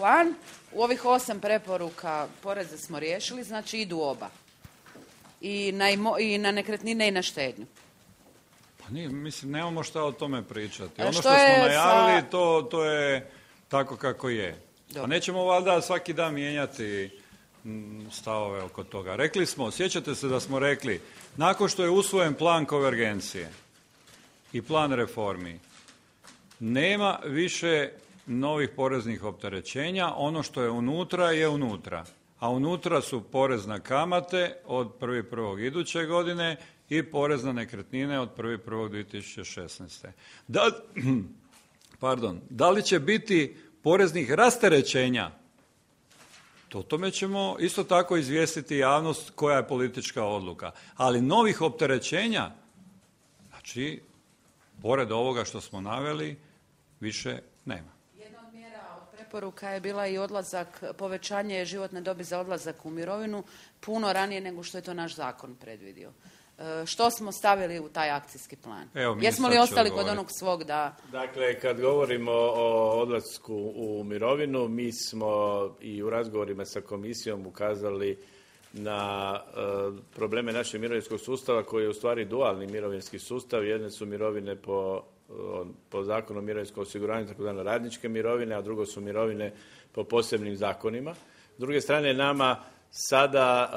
plan. U ovih 8 preporuka poreze smo riješili, znači idu oba. I na nekretnine i na štednju. Pa nije, mislim, nemamo šta o tome pričati. Ono Što što smo je najavili, to je tako kako je. Dobro. A nećemo valjda svaki dan mijenjati stavove oko toga. Rekli smo, sjećate se da smo rekli, nakon što je usvojen plan konvergencije i plan reformi, nema više novih poreznih opterećenja, ono što je unutra je unutra. A unutra su porez na kamate od 1.1. iduće godine i porez na nekretnine od 1.1.2016. Da li će biti poreznih rasterećenja? O tome ćemo isto tako izvijestiti javnost koja je politička odluka. Ali novih opterećenja, znači, pored ovoga što smo naveli, više nema. Jedna od mjera od preporuka je bila i povećanje životne dobi za odlazak u mirovinu puno ranije nego što je to naš zakon predvidio. Što smo stavili u taj akcijski plan? Jesmo li ostali kod onog svog da... Dakle, kad govorimo o odlasku u mirovinu, mi smo i u razgovorima sa komisijom ukazali na probleme našeg mirovinskog sustava koji je u stvari dualni mirovinski sustav. Jedne su mirovine po zakonu o mirovinskom osiguranju, tako da radničke mirovine, a drugo su mirovine po posebnim zakonima. S druge strane, nama sada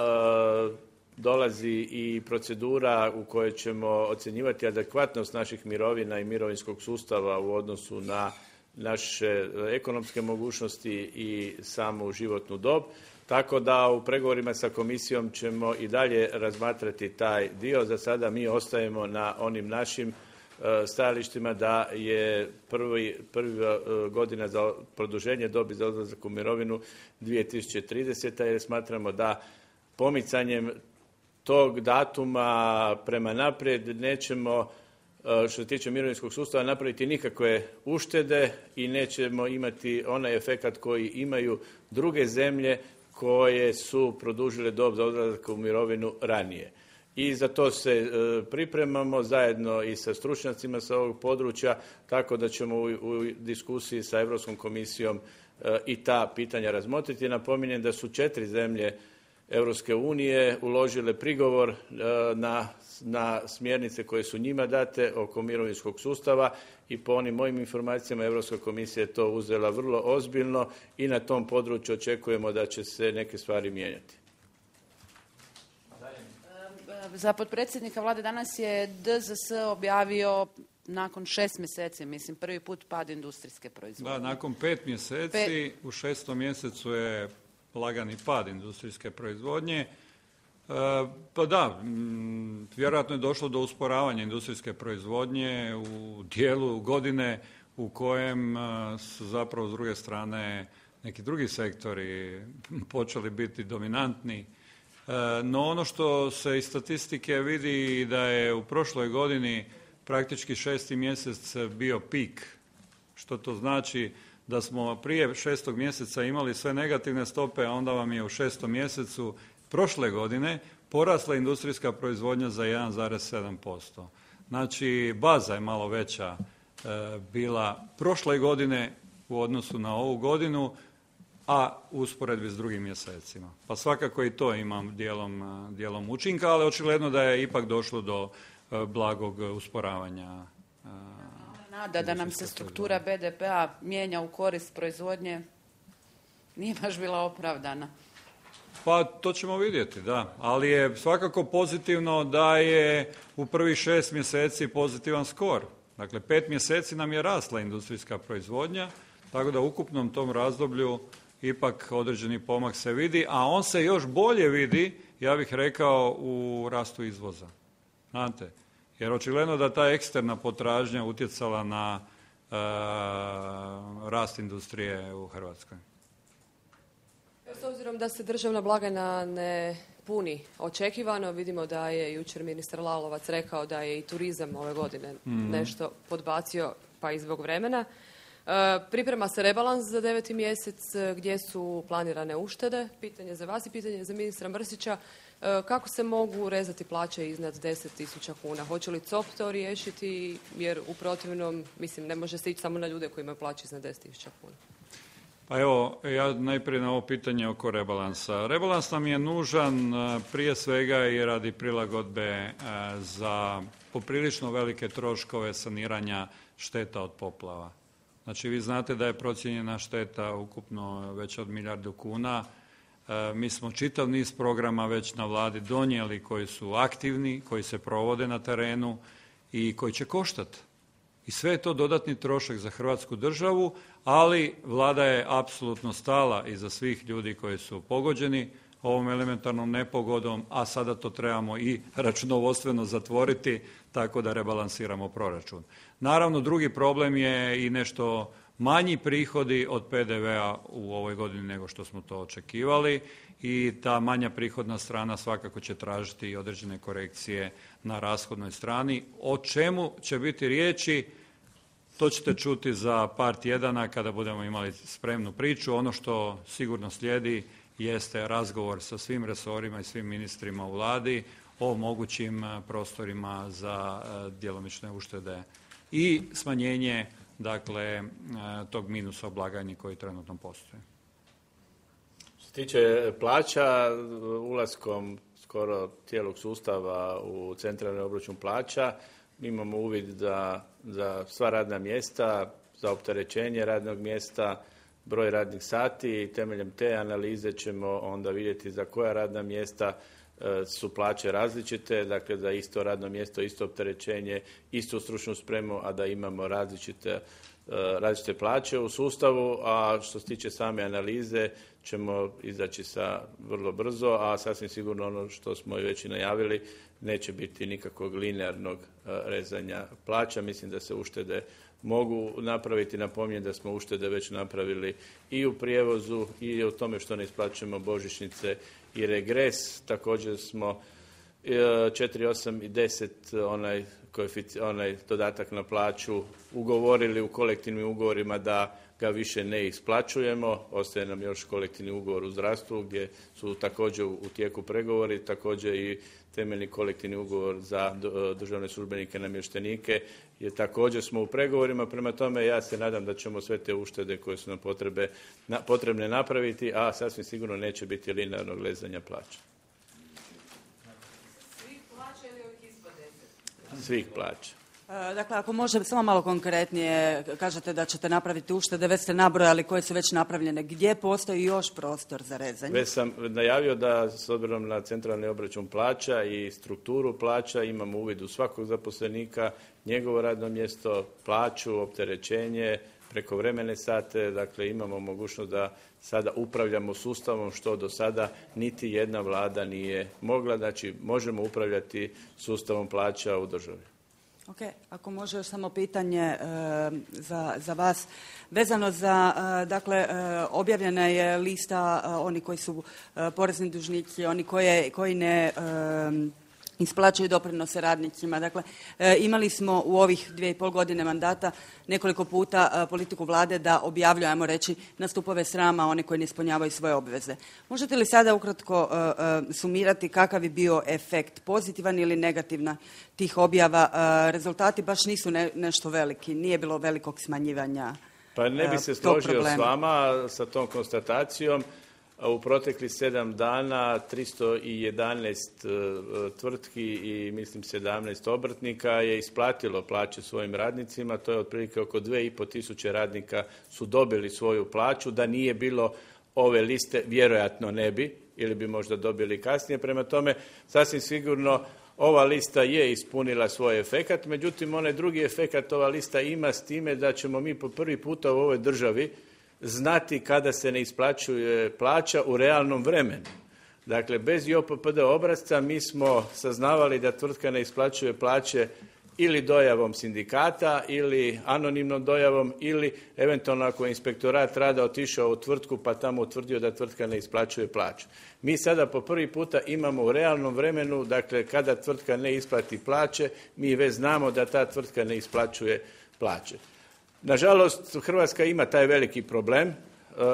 dolazi i procedura u kojoj ćemo ocjenjivati adekvatnost naših mirovina i mirovinskog sustava u odnosu na naše ekonomske mogućnosti i samu životnu dob. Tako da u pregovorima sa komisijom ćemo i dalje razmatrati taj dio. Za sada mi ostajemo na onim našim stajalištima da je prva godina za produženje dobi za odlazak u mirovinu 2030. jer smatramo da pomicanjem tog datuma prema naprijed nećemo, što se tiče mirovinskog sustava, napraviti nikakve uštede i nećemo imati onaj efekat koji imaju druge zemlje koje su produžile dob za odlazak u mirovinu ranije. I za to se pripremamo zajedno i sa stručnjacima sa ovog područja, tako da ćemo u diskusiji sa Europskom komisijom i ta pitanja razmotriti. Napominjem da su 4 zemlje Europske unije uložile prigovor na smjernice koje su njima date oko mirovinskog sustava i po onim mojim informacijama Europska komisija je to uzela vrlo ozbiljno i na tom području očekujemo da će se neke stvari mijenjati. Za potpredsjednika vlade danas je DZS objavio nakon 6 mjeseci, mislim, prvi put pad industrijske proizvodnje. Da, nakon 5 mjeseci u 6. mjesecu je lagani pad industrijske proizvodnje. Pa da, vjerojatno je došlo do usporavanja industrijske proizvodnje u dijelu godine u kojem su zapravo s druge strane neki drugi sektori počeli biti dominantni. No ono što se iz statistike vidi da je u prošloj godini praktički 6. mjesec bio pik. Što to znači? Da smo prije 6. mjeseca imali sve negativne stope, a onda vam je u 6. mjesecu prošle godine porasla industrijska proizvodnja za 1,7%. Znači, baza je malo veća bila prošle godine u odnosu na ovu godinu, a u usporedbi s drugim mjesecima. Pa svakako i to imam dijelom učinka, ali očigledno da je ipak došlo do blagog usporavanja. Nada da nam se struktura BDP-a mijenja u korist proizvodnje nije baš bila opravdana. Pa to ćemo vidjeti, da. Ali je svakako pozitivno da je u prvih 6 mjeseci pozitivan skor. Dakle, 5 mjeseci nam je rasla industrijska proizvodnja, tako da u ukupnom tom razdoblju ipak određeni pomak se vidi, a on se još bolje vidi, ja bih rekao, u rastu izvoza. Znate? Jer očigledno da ta eksterna potražnja utjecala na rast industrije u Hrvatskoj. S obzirom da se državna blagajna ne puni očekivano, vidimo da je jučer ministar Lalovac rekao da je i turizam ove godine nešto podbacio, pa i zbog vremena. Priprema se rebalans za 9. mjesec gdje su planirane uštede. Pitanje za vas i pitanje za ministra Mrsića. Kako se mogu rezati plaće iznad 10.000 kuna? Hoće li COP to riješiti? Jer u protivnom, mislim, ne može se ići samo na ljude koji imaju plaće iznad 10.000 kuna. Pa evo, ja najprije na ovo pitanje oko rebalansa. Rebalans nam je nužan prije svega i radi prilagodbe za poprilično velike troškove saniranja šteta od poplava. Znači, vi znate da je procijenjena šteta ukupno već od 1 milijardu kuna. Mi smo čitav niz programa već na vladi donijeli koji su aktivni, koji se provode na terenu i koji će koštati. I sve je to dodatni trošak za Hrvatsku državu, ali vlada je apsolutno stala iza svih ljudi koji su pogođeni ovom elementarnom nepogodom, a sada to trebamo i računovodstveno zatvoriti tako da rebalansiramo proračun. Naravno, drugi problem je i nešto manji prihodi od PDV-a u ovoj godini nego što smo to očekivali i ta manja prihodna strana svakako će tražiti i određene korekcije na rashodnoj strani. O čemu će biti riječi, to ćete čuti za par tjedana kada budemo imali spremnu priču. Ono što sigurno slijedi jeste razgovor sa svim resorima i svim ministrima u vladi o mogućim prostorima za djelomične uštede i smanjenje tog minusa u blagajni koji trenutno postoji. Što se tiče plaća, ulaskom skoro cijelog sustava u centralni obračun plaća, mi imamo uvid za sva radna mjesta, za opterećenje radnog mjesta, broj radnih sati i temeljem te analize ćemo onda vidjeti za koja radna mjesta su plaće različite, dakle za isto radno mjesto, isto opterećenje, istu stručnu spremu, a da imamo različite plaće u sustavu, a što se tiče same analize ćemo izaći sa vrlo brzo, a sasvim sigurno ono što smo i već i najavili, neće biti nikakvog linearnog rezanja plaća. Mislim da se uštede mogu napraviti. Napominjem da smo uštede već napravili i u prijevozu i u tome što ne isplaćujemo božićnice i regres. Također smo 4, 8 i 10 onaj dodatak na plaću ugovorili u kolektivnim ugovorima da ga više ne isplaćujemo. Ostaje nam još kolektivni ugovor u zdravstvu gdje su također u tijeku pregovori, također i temeljni kolektivni ugovor za državne službenike i namještenike jer također smo u pregovorima. Prema tome ja se nadam da ćemo sve te uštede koje su nam potrebne napraviti, a sasvim sigurno neće biti linearnog rezanja plaća. Svih plaća ili ovih ispod 10? Svih plaća. Dakle, ako može samo malo konkretnije, kažete da ćete napraviti uštede, već ste nabrojali koje su već napravljene. Gdje postoji još prostor za rezanje? Već sam najavio da s obzirom na centralni obračun plaća i strukturu plaća imamo uvid u svakog zaposlenika, njegovo radno mjesto, plaću, opterećenje, prekovremene sate, dakle imamo mogućnost da sada upravljamo sustavom što do sada niti jedna vlada nije mogla, znači možemo upravljati sustavom plaća u državi. Ok, ako može još samo pitanje za vas. Vezano za, objavljena je lista oni koji su porezni dužnici, oni koji ne isplaćuju doprinose radnicima. Dakle, imali smo u ovih 2,5 godine mandata nekoliko puta politiku vlade da objavljuje, ajmo reći, na stupove srama one koji ne ispunjavaju svoje obveze. Možete li sada ukratko sumirati kakav je bio efekt, pozitivan ili negativan tih objava? Rezultati baš nisu nešto veliki, nije bilo velikog smanjivanja. Pa ne bi se složio s vama sa tom konstatacijom. U proteklih 7 dana 311 tvrtki i mislim 17 obrtnika je isplatilo plaće svojim radnicima. To je otprilike oko 2.500 radnika su dobili svoju plaću. Da nije bilo ove liste, vjerojatno ne bi ili bi možda dobili kasnije. Prema tome, sasvim sigurno ova lista je ispunila svoj efekat. Međutim, onaj drugi efekat ova lista ima s time da ćemo mi po prvi puta u ovoj državi znati kada se ne isplaćuje plaća u realnom vremenu. Dakle, bez JOPPD obrasca mi smo saznavali da tvrtka ne isplaćuje plaće ili dojavom sindikata ili anonimnom dojavom ili eventualno ako je inspektorat rada otišao u tvrtku pa tamo utvrdio da tvrtka ne isplaćuje plaću. Mi sada po prvi puta imamo u realnom vremenu, dakle kada tvrtka ne isplati plaće, mi već znamo da ta tvrtka ne isplaćuje plaće. Nažalost, Hrvatska ima taj veliki problem.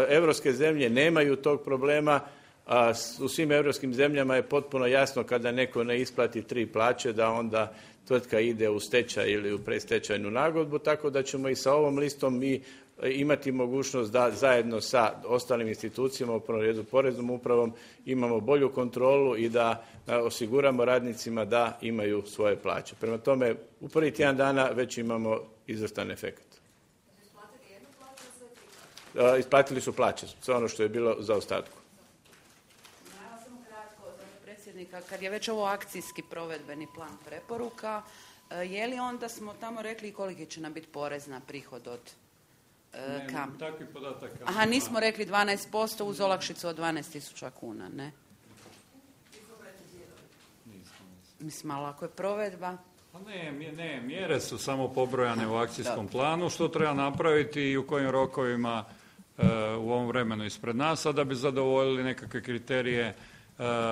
Europske zemlje nemaju tog problema. u svim europskim zemljama je potpuno jasno kada neko ne isplati 3 plaće da onda tvrtka ide u stečaj ili u predstečajnu nagodbu, tako da ćemo i sa ovom listom mi imati mogućnost da zajedno sa ostalim institucijama, u prvom redu poreznom upravom, imamo bolju kontrolu i da osiguramo radnicima da imaju svoje plaće. Prema tome, u prvih tjedan dana već imamo izvrstan efekt. Isplatili su plaće, sve ono što je bilo za ostatku. Samo kratko za predsjednika, kad je već ovo akcijski provedbeni plan preporuka, je li onda smo tamo rekli koliki će nam biti porez na prihod od kam? Takvi podataka. Aha, nismo rekli 12% uz olakšicu od 12.000 kuna, ne? Mislim, ali ako je provedba... Ne, mjere su samo pobrojane u akcijskom planu, što treba napraviti i u kojim rokovima u ovom vremenu ispred nas, a da bi zadovoljili nekakve kriterije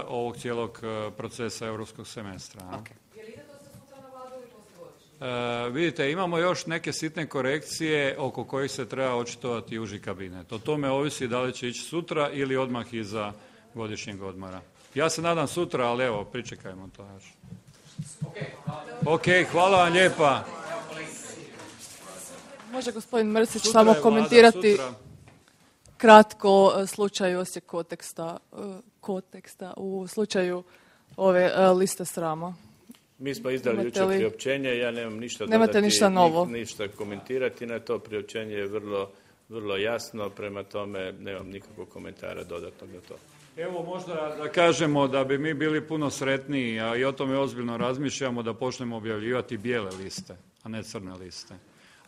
ovog cijelog procesa europskog semestra. Okay. Je li ide to se sutra na Vladu ili poslije? Vidite, imamo još neke sitne korekcije oko kojih se treba očitovati uži kabinet. O tome ovisi da li će ići sutra ili odmah iza godišnjeg odmora. Ja se nadam sutra, ali evo, pričekajmo to još. Ok, hvala vam lijepa. Može gospodin Mrsić Sutra samo je Vlada, komentirati sutra. kratko slučaj Osijek konteksta u slučaju ove liste srama. Mi smo izdali jučer priopćenje, ja nemam ništa Nemate dodati, ništa novo. ništa komentirati na to. Priopćenje je vrlo jasno, prema tome nemam nikakvog komentara dodatnog na to. Evo možda da kažemo da bi mi bili puno sretniji, a i o tome ozbiljno razmišljamo, da počnemo objavljivati bijele liste, a ne crne liste.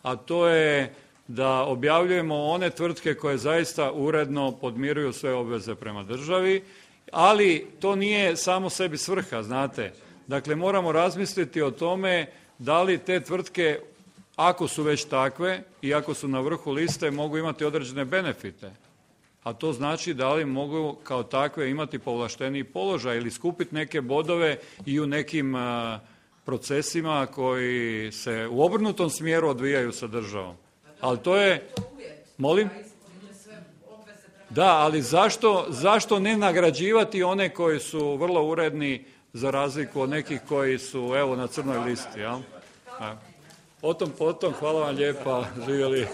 A to je da objavljujemo one tvrtke koje zaista uredno podmiruju sve obveze prema državi, ali to nije samo sebi svrha, znate. Dakle, moramo razmisliti o tome da li te tvrtke, ako su već takve i ako su na vrhu liste, mogu imati određene benefite. A to znači da li mogu kao takve imati povlašteniji položaj ili skupiti neke bodove i u nekim procesima koji se u obrnutom smjeru odvijaju sa državom. Ali to je... Molim? Da, ali zašto ne nagrađivati one koji su vrlo uredni za razliku od nekih koji su evo na crnoj listi, jel? O tom potom, hvala vam lijepa, živjeli.